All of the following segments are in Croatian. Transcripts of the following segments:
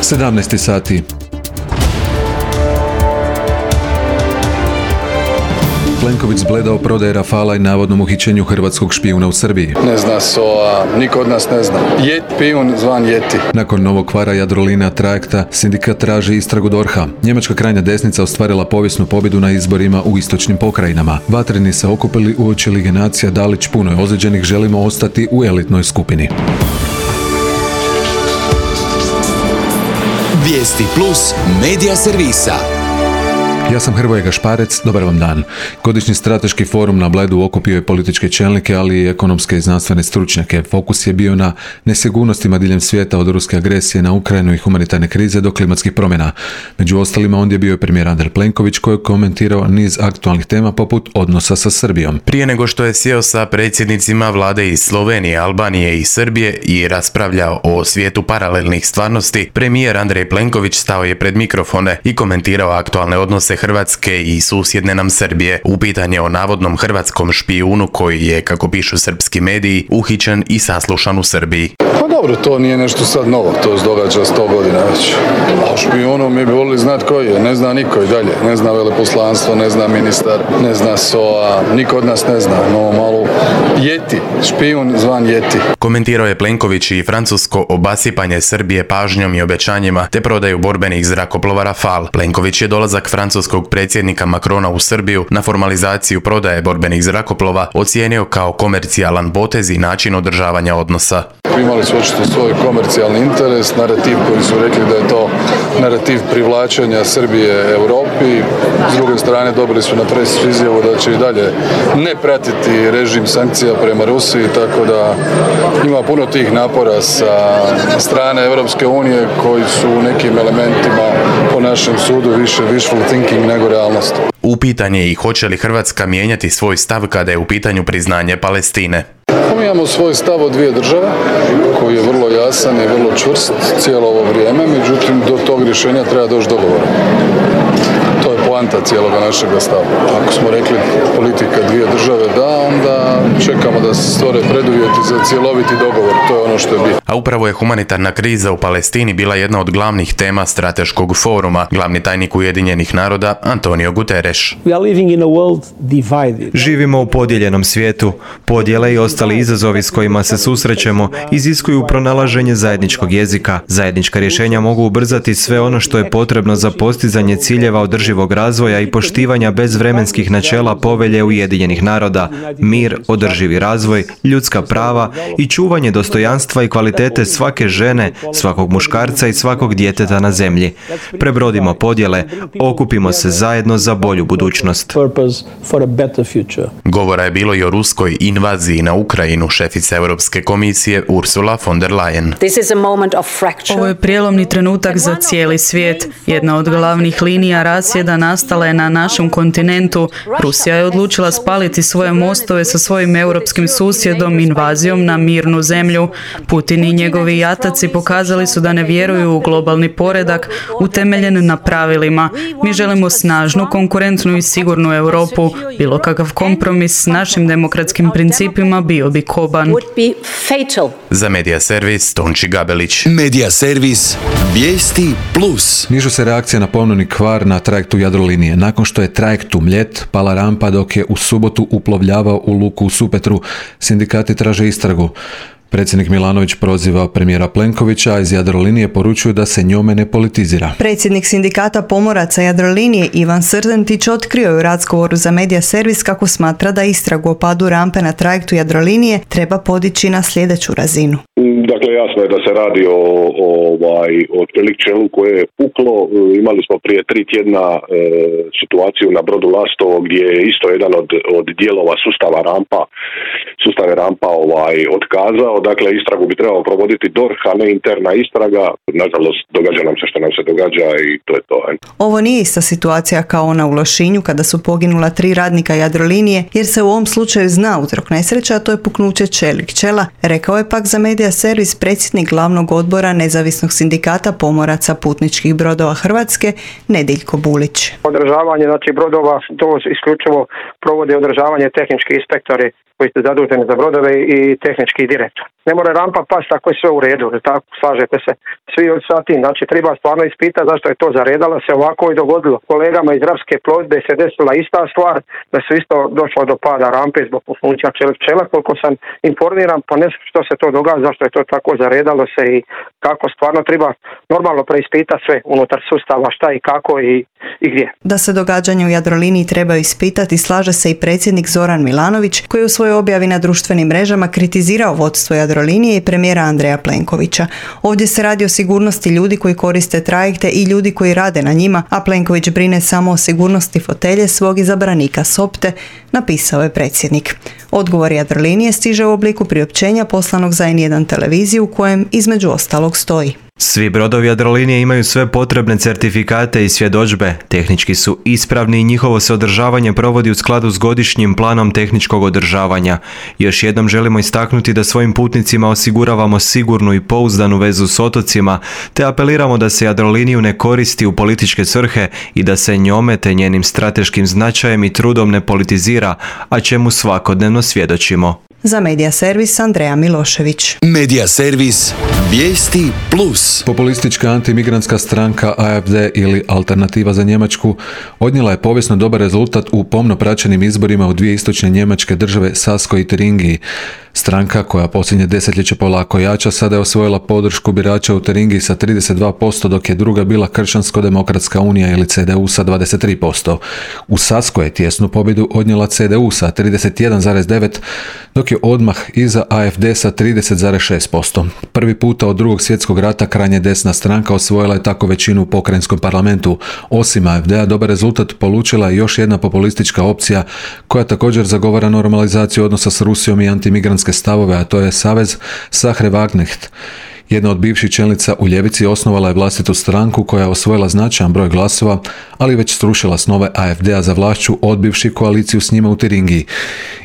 17 sati. Plenković zbledao prodaje Rafala i navodnom uhićenju hrvatskog špijuna u Srbiji. Ne zna SOA, niko od nas ne zna. Špijun zvan Jeti. Nakon novog kvara Jadrolinija trajekta, sindikat traži istragu DORH-a. Njemačka krajnja desnica ostvarila povijesnu pobjedu na izborima u istočnim pokrajinama. Vatreni se okupili uoči Lige nacija Dalić puno je ozlijeđenih, želimo ostati u elitnoj skupini. Vijesti plus medija servisa. Ja sam Hrvoje Gašparec, dobar vam dan. Godišnji strateški forum na Bledu okupio je političke čelnike, ali i ekonomske i znanstvene stručnjake. Fokus je bio na nesigurnostima diljem svijeta, od ruske agresije na Ukrajinu i humanitarne krize do klimatskih promjena. Među ostalima ondje bio je premijer Andrej Plenković koji je komentirao niz aktualnih tema poput odnosa sa Srbijom. Prije nego što je sjeo sa predsjednicima vlade iz Slovenije, Albanije i Srbije i raspravljao o svijetu paralelnih stvarnosti, premijer Andrej Plenković stao je pred mikrofone i komentirao aktualne odnose Hrvatske i susjedne nam Srbije. Upitan je o navodnom hrvatskom špijunu koji je, kako pišu srpski mediji, uhićen i saslušan u Srbiji. Pa dobro, to nije nešto sad novo, to se događa 100 godina već. A o špijunu mi bi volili znati koji je, ne zna niko i dalje. Ne zna veleposlanstvo, ne zna ministar, ne zna SOA, niko od nas ne zna. No malo Jeti, špijun zvan Jeti. Komentirao je Plenković i francusko obasipanje Srbije pažnjom i obećanjima te prodaju borbenih zrakoplova Rafal. Plenković je dolazak francuskog predsjednika Macrona u Srbiju na formalizaciju prodaje borbenih zrakoplova ocijenio kao komercijalan potez i način održavanja odnosa. Imali su očito svoj komercijalni interes, narativ koji su rekli da je to narativ privlačenja Srbije Europi. S druge strane dobili su na press izjavu da će i dalje ne pratiti režim sankcija prema Rusiji, tako da ima puno tih napora sa strane Europske unije koji su u nekim elementima po našem sudu više wishful thinking nego realnost. Upitan je i hoće li Hrvatska mijenjati svoj stav kada je u pitanju priznanje Palestine. Mi imamo svoj stav od dvije države koji je vrlo jasan i vrlo čvrst cijelo ovo vrijeme, međutim do tog rješenja treba doći dogovor. To je poanta cijeloga našega stava. Ako smo rekli politika dvije države da, onda čekamo da se stvore preduvjeti za cjeloviti dogovor. To je ono što je bitno. A upravo je humanitarna kriza u Palestini bila jedna od glavnih tema strateškog foruma. Glavni tajnik Ujedinjenih naroda Antonio Guterres. Živimo u podijeljenom svijetu. Podjele i ostali izazovi s kojima se susrećemo iziskuju pronalaženje zajedničkog jezika. Zajednička rješenja mogu ubrzati sve ono što je potrebno za postizanje ciljeva održivog razvoja i poštivanja bezvremenskih načela Povelje Ujedinjenih naroda, mir, održivi razvoj, ljudska prava i čuvanje dostojanstva i kvalitete svake žene, svakog muškarca i svakog djeteta na zemlji. Prebrodimo podjele, okupimo se zajedno za bolju budućnost. Govora je bilo i o ruskoj invaziji na Ukrajinu. Šefica Europske komisije Ursula von der Leyen. Ovo je prijelomni trenutak za cijeli svijet. Jedna od glavnih linija rasjeda nastala je na našem kontinentu. Rusija je odlučila spaliti svoje mostove sa svojim europskim susjedom invazijom na mirnu zemlju. Putin i njegovi jataci pokazali su da ne vjeruju u globalni poredak utemeljen na pravilima. Mi želimo snažnu, konkurentnu i sigurnu Europu. Bilo kakav kompromis s našim demokratskim principima bio bi koban. Za Medija servis Tonči Gabelić. Medija servis Vijesti plus. Nižu se reakcija na ponovni kvar na trajektu Jadrolinije. Nakon što je trajekt u Mljet pala rampa dok je u subotu uplovljavao u luku u Supetru, sindikati traže istragu. Predsjednik Milanović proziva premijera Plenkovića, a iz Jadrolinije poručuju da se njome ne politizira. Predsjednik sindikata pomoraca Jadrolinije Ivan Srdentić otkrio je u razgovoru za Medija servis kako smatra da istragu o padu rampe na trajektu Jadrolinije treba podići na sljedeću razinu. Dakle, jasno je da se radi o otprilike čelu koje je puklo. Imali smo prije 3 tjedna situaciju na brodu Lastovo gdje je isto jedan od dijelova sustava rampa otkazao. Dakle, istragu bi trebalo provoditi DORH, a ne interna istraga. Nažalost, događa nam se što nam se događa i to je to. Ovo nije ista situacija kao ona u Lošinju kada su poginula 3 radnika Jadrolinije, jer se u ovom slučaju zna uzrok nesreća, a to je puknuće čelik čela, rekao je pak za Medija servis predsjednik glavnog odbora Nezavisnog sindikata pomoraca putničkih brodova Hrvatske Nediljko Bulić. Održavanje brodova, to isključivo provode održavanje tehnički inspektori koji su zaduženi za brodove i tehnički direktor. ne more rampa pasti ako je sve u redu, tako, slažete se svi sa tim, znači treba stvarno ispitati zašto je to zaredalo se ovako i dogodilo. Kolegama iz Rapske plovidbe se desila ista stvar, da su isto došlo do pada rampe zbog funkcija čela, koliko sam informiran, pa ne znam što se to događa, zašto je to tako zaredalo se i kako stvarno treba normalno preispitati sve unutar sustava, šta i kako i gdje. Da se događanja u Jadroliniji trebaju ispitati, slaže se i predsjednik Zoran Milanović, koji u svojoj objavi na društvenim mrežama kritizirao vodstvo Jadrolinije i premijera Andreja Plenkovića. Ovdje se radi o sigurnosti ljudi koji koriste trajekte i ljudi koji rade na njima, a Plenković brine samo o sigurnosti fotelje svog izabranika Sopte, napisao je predsjednik. Odgovor Jadrolinije stiže u obliku priopćenja poslanog za N1 televiziju u kojem između ostalog stoji: Svi brodovi Jadrolinije imaju sve potrebne certifikate i svjedodžbe, tehnički su ispravni i njihovo se održavanje provodi u skladu s godišnjim planom tehničkog održavanja. Još jednom želimo istaknuti da svojim putnicima osiguravamo sigurnu i pouzdanu vezu s otocima, te apeliramo da se Jadroliniju ne koristi u političke svrhe i da se njome te njenim strateškim značajem i trudom ne politizira, a čemu svakodnevno svjedočimo. Za Medija servis Andreja Milošević. Medija servis Vijesti Plus. Populistička antimigrantska stranka AfD ili Alternativa za Njemačku odnijela je povijesno dobar rezultat u pomno praćenim izborima u dvije istočne njemačke države Saskoj i Turingiji. Stranka, koja posljednje desetljeće polako jača, sada je osvojila podršku birača u Turingiji sa 32%, dok je druga bila Kršćansko-demokratska unija ili CDU sa 23%. U Saskoj je tjesnu pobjedu odnijela CDU sa 31,9%, dok je odmah iza AfD sa 30,6%. Prvi puta od Drugog svjetskog rata krajnje desna stranka osvojila je tako većinu u pokrajinskom parlamentu. Osim AfD-a, dobar rezultat polučila je još jedna populistička opcija koja također zagovara normalizaciju odnosa s Rusijom i antimigrantske stavove, a to je Savez Sahre Wagenknecht. Jedna od bivših čelnica u ljevici osnovala je vlastitu stranku koja je osvojila značajan broj glasova, ali već srušila snove AfD-a za vlašću, odbivši koaliciju s njima u Turingiji.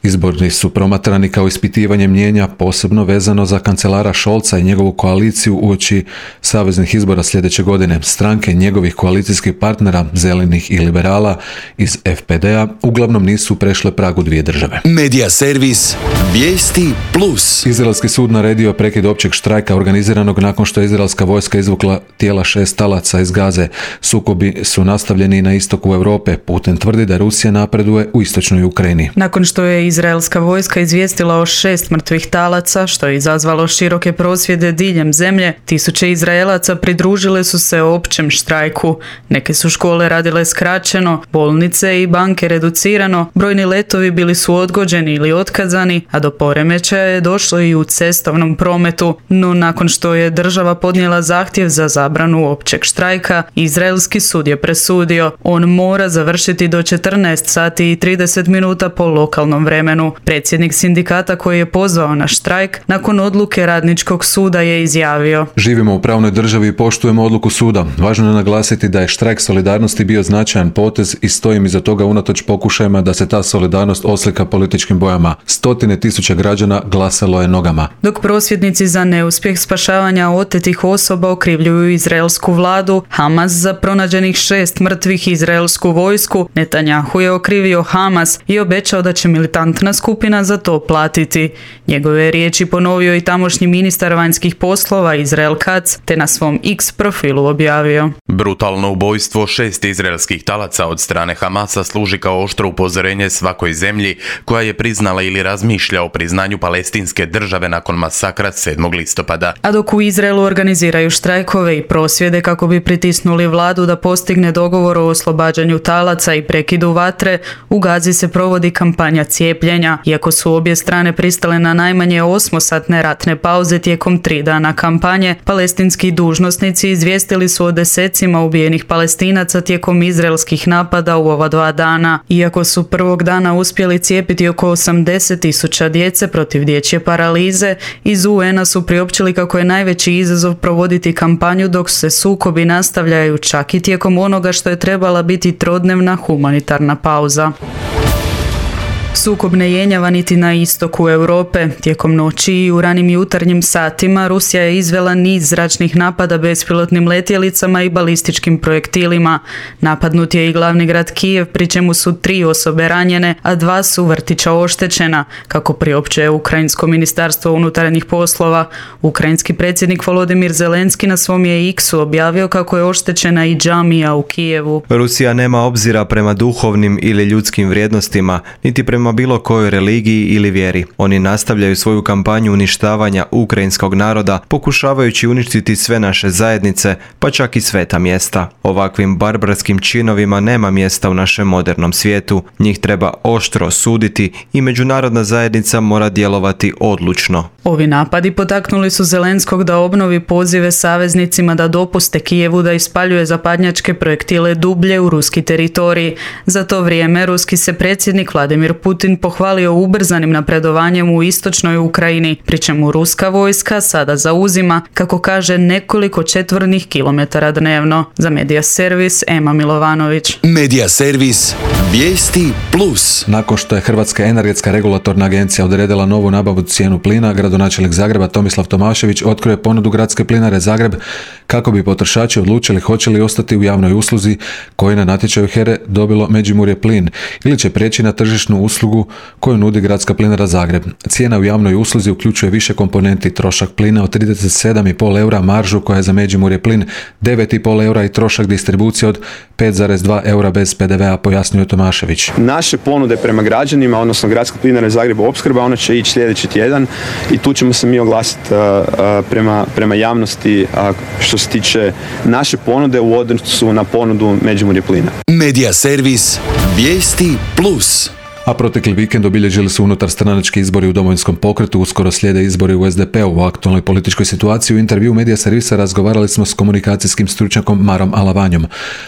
Izbori su promatrani kao ispitivanje mnijenja, posebno vezano za kancelara Scholza i njegovu koaliciju uoči saveznih izbora sljedeće godine. Stranke njegovih koalicijskih partnera, zelenih i liberala iz FPD-a, uglavnom nisu prešle pragu dvije države. Medija servis Vijesti Plus. Izraelski sud naredio prekid općeg štrajka organiziranog nakon što je izraelska vojska izvukla tijela 6 talaca iz Gaze. Sukobi su nastavljeni na istoku Europe. Putin tvrdi da Rusija napreduje u istočnoj Ukrajini. Nakon što je izraelska vojska izvijestila o 6 mrtvih talaca, što je izazvalo široke prosvjede diljem zemlje, tisuće Izraelaca pridružile su se općem štrajku. Neke su škole radile skraćeno, bolnice i banke reducirano, brojni letovi bili su odgođeni ili otkazani, a do poremećaja je došlo i u cestovnom prometu. No nakon što je država podnijela zahtjev za zabranu općeg štrajka, izraelski sud je presudio. On mora završiti do 14 sati i 30 minuta po lokalnom vremenu. Predsjednik sindikata koji je pozvao na štrajk nakon odluke radničkog suda je izjavio: Živimo u pravnoj državi i poštujemo odluku suda. Važno je naglasiti da je štrajk solidarnosti bio značajan potez i stojim iza toga unatoč pokušajima da se ta solidarnost oslika političkim bojama. Stotine tisuća građana glasalo je nogama. Dok prosvjednici za neuspjeh spašavanja otetih osoba okrivljuju izraelsku vladu, Hamas za pronađenih 6 mrtvih izraelsku vojsku, Netanjahu je okrivio Hamas i obećao da će militantna skupina za to platiti. Njegove riječi ponovio i tamošnji ministar vanjskih poslova Izrael Katz, te na svom X profilu objavio: Brutalno ubojstvo 6 izraelskih talaca od strane Hamasa služi kao oštro upozorenje svakoj zemlji koja je priznala ili razmišlja o priznanju palestinske države nakon masakra 7. listopada. A dok u Izraelu organiziraju štrajkove i prosvjede kako bi pritisnuli vladu da postigne dogovor o oslobađanju talaca i prekidu vatre, u Gazi se provodi kampanja cijepljenja. Iako su obje strane pristale na najmanje 8-satne ratne pauze tijekom 3 dana kampanje, palestinski dužnosnici izvijestili su o desecima ubijenih Palestinaca tijekom izraelskih napada u ova 2 dana. Iako su prvog dana uspjeli cijepiti oko 80.000 djece protiv dječje paralize, iz UN-a su priopćili kako je najveći izazov provoditi kampanju dok se sukobi nastavljaju čak i tijekom onoga što je trebala biti trodnevna humanitarna pauza. Sukob ne jenjava niti na istoku Europe. Tijekom noći i u ranim jutarnjim satima Rusija je izvela niz zračnih napada bespilotnim letjelicama i balističkim projektilima. Napadnut je i glavni grad Kijev, pri čemu su 3 osobe ranjene, a 2 su vrtića oštećena, kako priopćuje Ukrajinsko ministarstvo unutarnjih poslova. Ukrajinski predsjednik Volodymyr Zelenski na svom je X-u objavio kako je oštećena i džamija u Kijevu. Rusija nema obzira prema duhovnim ili ljudskim vrijednostima, niti prema bilo kojoj religiji ili vjeri. Oni nastavljaju svoju kampanju uništavanja ukrajinskog naroda, pokušavajući uništiti sve naše zajednice, pa čak i sveta mjesta. Ovakvim barbarskim činovima nema mjesta u našem modernom svijetu. Njih treba oštro osuditi i međunarodna zajednica mora djelovati odlučno. Ovi napadi potaknuli su Zelenskog da obnovi pozive saveznicima da dopuste Kijevu da ispaljuje zapadnjačke projektile dublje u ruski teritorij. Za to vrijeme ruski se predsjednik Vladimir Putin pohvalio ubrzanim napredovanjem u istočnoj Ukrajini, pri čemu ruska vojska sada zauzima, kako kaže, nekoliko četvornih kilometara dnevno. Za Medija Servis, Ema Milovanović. Medija Servis, vijesti plus. Nakon što je Hrvatska energetska regulatorna agencija odredila novu nabavu cijenu plina, gradonačelnik Zagreba Tomislav Tomašević otkrio je ponudu Gradske plinare Zagreb kako bi potrošači odlučili hoće li ostati u javnoj usluzi koji na natječaju HERE dobilo Međimurje plin ili će prijeći na tržišnu uslugu koju nudi Gradska plinara Zagreb. Cijena u javnoj usluzi uključuje više komponenti, trošak plina od 37,5 eura, maržu koja je za Međimurje plin 9,5 eura i trošak distribucije od 5,2 eura bez PDV-a, pojasnio Tomašević. Naše ponude prema građanima, odnosno Gradska plinara Zagreb opskrba, ona će ići sljedeći tjedan i tu ćemo se mi oglasiti prema javnosti što se tiče naše ponude u odnosu na ponudu Međimurje plina. Medija Servis, vijesti plus. A protekli vikend obilježili su unutar stranački izbori u Domovinskom pokretu, uskoro slijede izbori u SDP-u. U aktualnoj političkoj situaciji u intervju Medija Servisa razgovarali smo s komunikacijskim stručnjakom Marom Alavanjom.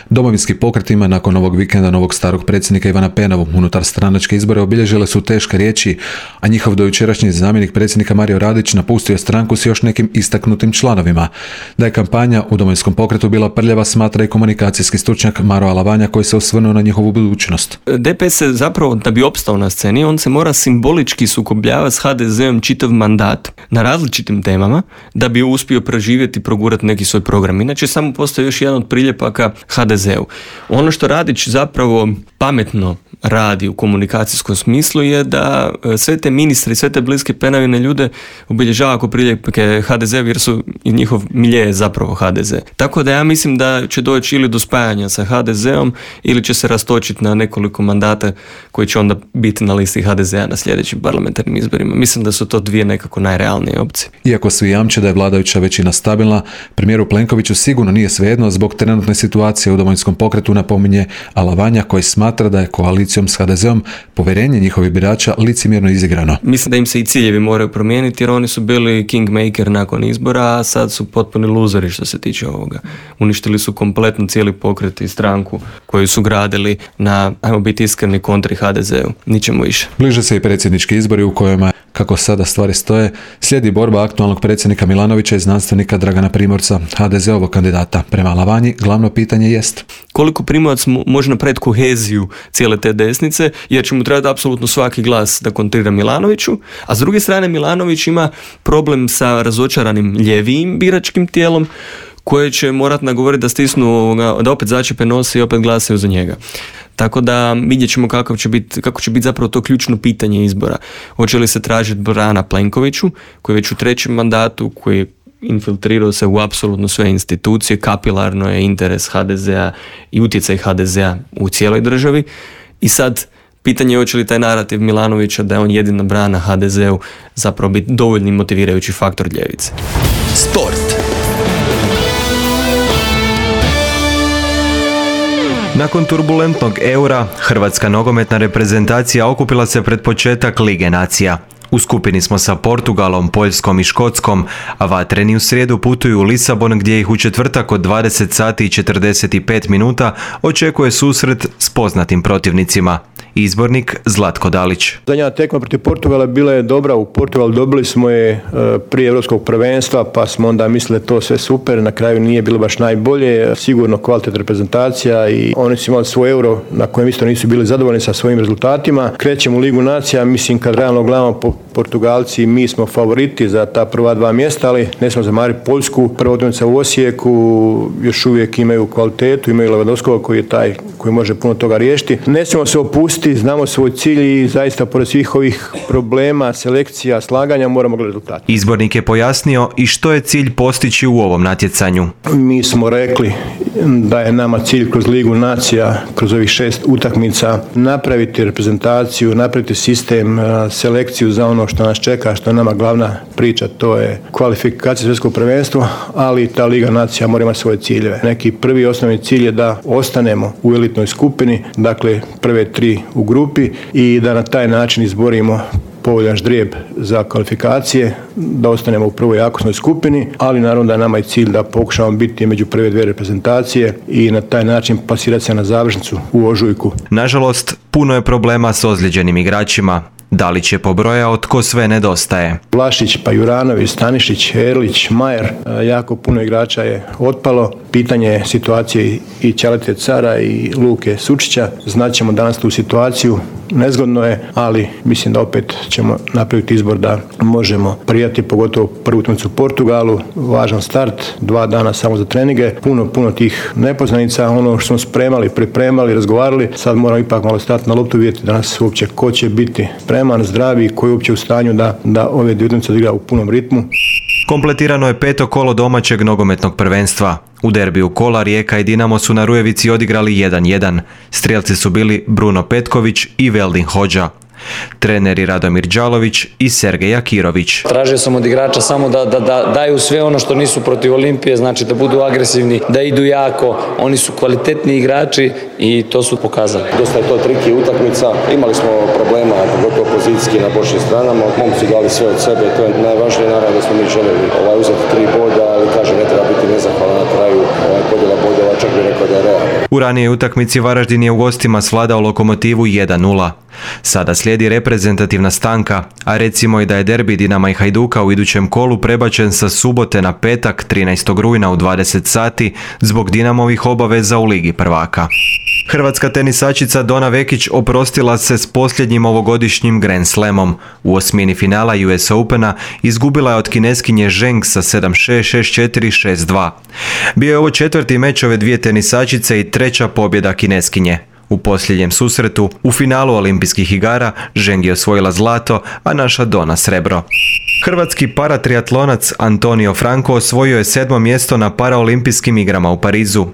Domovinski pokret ima nakon ovog vikenda novog starog predsjednika Ivana Penavu. Unutar stranačke izbore obilježile su teške riječi, a njihov dojučerašnji zamjenik predsjednika Mario Radić napustio stranku s još nekim istaknutim članovima. Da je kampanja u Domovinskom pokretu bila prljava, smatra i komunikacijski stručnjak Maro Alavanja, koji se osvrnuo na njihovu budućnost. DPS se zapravo, da bi opstao na sceni, on se mora simbolički sukobljavati s HDZ-om čitav mandat na različitim temama da bi uspio preživjeti i progurati neki svoj program. Inače, samo postoji još jedan od priljepaka HDZ-u. Ono što Radić zapravo pametno radi u komunikacijskom smislu je da sve te ministre i sve te bliske Penavine ljude obilježava ako priljepke HDZ, jer su i njihov milje zapravo HDZ. Tako da ja mislim da će doći ili do spajanja sa HDZ-om ili će se rastočiti na nekoliko mandata koji će onda biti na listi HDZ-a na sljedećim parlamentarnim izborima. Mislim da su to dvije nekako najrealnije opcije. Iako svi jamče da je vladajuća većina stabilna, premijeru Plenkoviću sigurno nije svejedno zbog trenutne situacije u Domovinskom pokretu, napominje Alavanja, koji smatra da je koalicijom s HDZ-om povjerenje njihovih birača licemjerno izigrano. Mislim da im se i ciljevi moraju promijeniti, jer oni su bili kingmaker nakon izbora, a sad su potpuni luzeri što se tiče ovoga. Uništili su kompletno cijeli pokret i stranku koju su gradili na, ajmo biti iskreni, kontri HDZ-u. Ničemu više. Bliže se i predsjednički izbori u kojima, kako sada stvari stoje, slijedi borba aktualnog predsjednika Milanovića i znanstvenika Dragana Primorca, HDZ-ovog kandidata. Prema Alavanji, glavno pitanje jest: koliko Primorac može napraviti koheziju cijele te desnice, jer će mu trebati apsolutno svaki glas da kontrira Milanoviću, a s druge strane Milanović ima problem sa razočaranim ljevijim biračkim tijelom, koje će morati nagovoriti da stisnu, da opet začepe nose i opet glasaju za njega. Tako da vidjet ćemo kako će biti zapravo to ključno pitanje izbora. Hoće li se tražiti brana Plenkoviću, koji je već u 3. mandatu, koji infiltrirao se u apsolutno sve institucije, kapilarno je interes HDZ-a i utjecaj HDZ-a u cijeloj državi. I sad pitanje je hoće li taj narativ Milanovića da je on jedina brana HDZ-u zapravo biti dovoljni motivirajući faktor ljevice. Sport. Nakon turbulentnog Eura, hrvatska nogometna reprezentacija okupila se pred početak Lige nacija. U skupini smo sa Portugalom, Poljskom i Škotskom, a vatreni u srijedu putuju u Lisabon, gdje ih u četvrtak od 20 sati i 45 minuta očekuje susret s poznatim protivnicima. Izbornik Zlatko Dalić. Zadnja tekma protiv Portugala bila je dobra. U Portugalu dobili smo je prije Europskog prvenstva, pa smo onda mislili da to sve super. Na kraju nije bilo baš najbolje. Sigurno kvalitetna reprezentacija i oni su imali svoj Euro na kojem isto nisu bili zadovoljni sa svojim rezultatima. Krećemo u Ligu nacija, mislim kad realno gledamo Portugalci, mi smo favoriti za ta prva dva mjesta, ali ne smo zamariti Poljsku. Prva utakmica u Osijeku, još uvijek imaju kvalitetu, imaju Lewandowskog koji je taj koji može puno toga riješiti. Ne smijemo se opustiti, znamo svoj cilj i zaista pored svih ovih problema, selekcija, slaganja moramo gledati rezultate. Izbornik je pojasnio i što je cilj postići u ovom natjecanju. Mi smo rekli da je nama cilj kroz Ligu nacija, kroz ovih 6 utakmica, napraviti reprezentaciju, napraviti sistem, selekciju za ono što nas čeka, što je nama glavna priča, to je kvalifikacija svjetskog prvenstva, ali ta Liga nacija mora imati svoje ciljeve. Neki prvi osnovni cilj je da ostanemo u elitnoj skupini, dakle prve 3 u grupi i da na taj način izborimo povoljan ždrijeb za kvalifikacije, da ostanemo u prvoj jakosnoj skupini, ali naravno da je nama i cilj da pokušamo biti među prve 2 reprezentacije i na taj način plasirati se na završnicu u ožujku. Nažalost, puno je problema s ozlijeđenim igračima. Dalić je pobrojao tko sve nedostaje. Vlašić, pa Juranović, Stanišić, Erlić, Majer, jako puno igrača je otpalo. Pitanje je situacije i Ćalete Cara i Luke Sučića. Znaćemo danas tu situaciju, nezgodno je, ali mislim da opet ćemo napraviti izbor da možemo prijati, pogotovo prvu utakmicu u Portugalu, važan start, 2 dana samo za treninge, puno tih nepoznanica, ono što smo spremali, pripremali, razgovarali, sad moramo ipak malo stati na loptu, vidjeti danas uopće ko će biti spreman, zdravi, koji je uopće u stanju da ove dvije utakmice odigra u punom ritmu. Kompletirano je 5. kolo domaćeg nogometnog prvenstva. U derbiju kola Rijeka i Dinamo su na Rujevici odigrali 1-1. Strijelci su bili Bruno Petković i Veldin Hodža. Treneri Radomir Đalović i Sergej Akirović. Tražio sam od igrača samo da daju sve ono što nisu protiv Olimpije, znači da budu agresivni, da idu jako, oni su kvalitetni igrači i to su pokazali. Dosta je to triki utakmica, imali smo problema, pogotovo pozicijski na bočnim stranama, momci dali sve od sebe, to je najvažnije, naravno da smo mi željeli uzeti 3 boda, ali kažem, ne treba biti nezahvalan na kraju, podjela bodova, čak bi rekao da je realno. U ranijoj utakmici Varaždin je u gostima svladao Lokomotivu 1-0. Sada slijedi reprezentativna stanka, a recimo i da je derbi Dinama i Hajduka u idućem kolu prebačen sa subote na petak 13. rujna u 20 sati zbog Dinamovih obaveza u Ligi prvaka. Hrvatska tenisačica Dona Vekić oprostila se s posljednjim ovogodišnjim Grand Slamom. U osmini finala US Opena izgubila je od Kineskinje Zheng sa 7-6, 6-4, 6-2. Bio je ovo 4. meč ove dvije tenisačice i 3. pobjeda Kineskinje. U posljednjem susretu, u finalu olimpijskih igara, Zheng je osvojila zlato, a naša Dona srebro. Hrvatski paratriatlonac Antonio Franco osvojio je 7. mjesto na paraolimpijskim igrama u Parizu.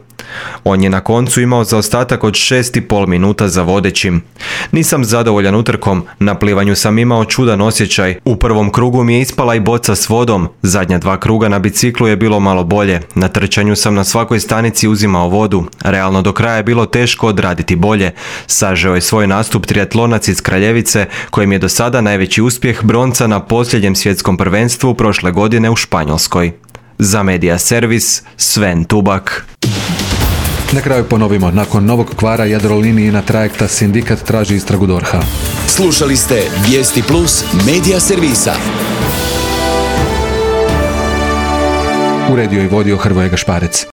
On je na koncu imao zaostatak od 6,5 minuta za vodećim. Nisam zadovoljan utrkom, na plivanju sam imao čudan osjećaj. U prvom krugu mi je ispala i boca s vodom, zadnja 2 kruga na biciklu je bilo malo bolje. Na trčanju sam na svakoj stanici uzimao vodu. Realno do kraja je bilo teško odraditi bolje. Sažeo je svoj nastup triatlonac iz Kraljevice, kojem je do sada najveći uspjeh bronca na posljednjem svjetskom prvenstvu prošle godine u Španjolskoj. Za Media Servis, Sven Tubak. Na kraju ponovimo, nakon novog kvara Jadrolinijina trajekta sindikat traži istragu DORH-a. Slušali ste Vijesti Plus Media Servisa. Uredio i vodio Hrvoje Gašparec.